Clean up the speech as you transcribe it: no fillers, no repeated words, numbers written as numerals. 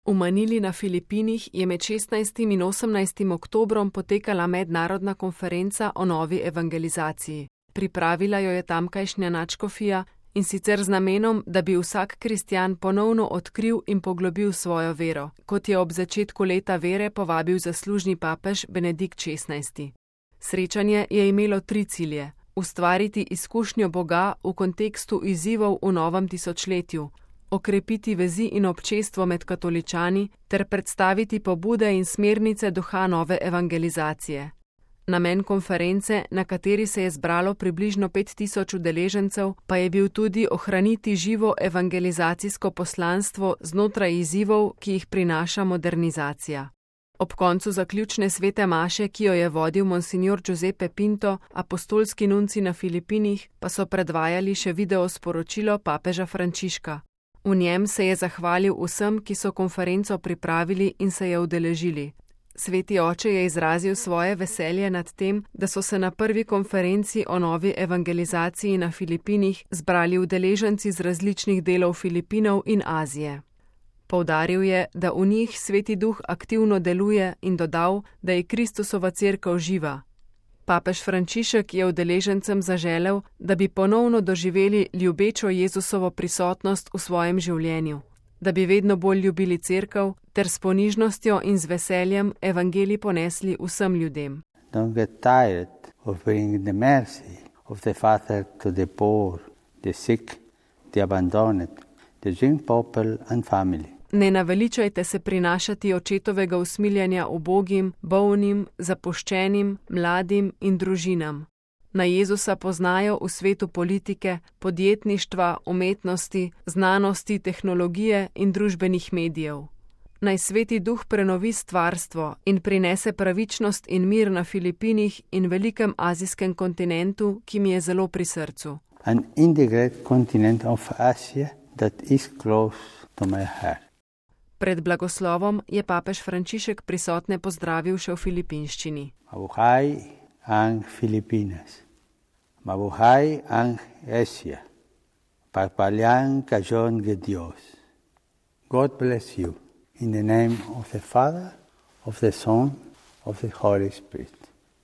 V Manili na Filipinih je med 16. in 18. oktobrom potekala mednarodna konferenca o novi evangelizaciji. Pripravila jo je tamkajšnja nadškofija, in sicer z namenom, da bi vsak kristjan ponovno odkril in poglobil svojo vero, kot je ob začetku leta vere povabil zaslužni papež Benedikt XVI. Srečanje je imelo 3 cilje: ustvariti izkušnjo Boga v kontekstu izzivov v novem tisočletju, okrepiti vezi in občestvo med katoličani ter predstaviti pobude in smernice duha nove evangelizacije. Namen konference, na kateri se je zbralo približno 5000 udeležencev, pa je bil tudi ohraniti živo evangelizacijsko poslanstvo znotraj izzivov, ki jih prinaša modernizacija. Ob koncu zaključne svete maše, ki jo je vodil monsignor Giuseppe Pinto, apostolski nunci na Filipinih, pa so predvajali še video sporočilo papeža Frančiška. V njem se je zahvalil vsem, ki so konferenco pripravili in se je udeležili. Sveti oče je izrazil svoje veselje nad tem, da so se na prvi konferenci o novi evangelizaciji na Filipinih zbrali udeleženci z različnih delov Filipinov in Azije. Poudaril je, da v njih Sveti Duh aktivno deluje, in dodal, da je Kristusova cerkev živa. Papež Frančišek je udeležencem zaželel, da bi ponovno doživeli ljubečo Jezusovo prisotnost v svojem življenju, da bi vedno bolj ljubili cerkev ter s ponižnostjo in z veseljem evangelij ponesli vsem ljudem. Don't get tired of bringing the mercy of the Father to the poor, the sick, the abandoned, the young people and family. Ne naveličajte se prinašati očetovega usmiljenja ubogim, bolnim, zapuščenim, mladim in družinam. Na Jezusa poznajo v svetu politike, podjetništva, umetnosti, znanosti, tehnologije in družbenih medijev. Naj Sveti Duh prenovi stvarstvo in prinese pravičnost in mir na Filipinih in velikem azijskem kontinentu, ki mi je zelo pri srcu. And in the great continent of Asia that is close to my heart. Pred blagoslovom je papež Frančišek prisotne pozdravil še v filipinščini. Mabuhay ang Filipinas. Mabuhay ang Asia. Pagpalain kayon ge Dios. God bless you. In the name of the Father, of the Son, of the Holy Spirit.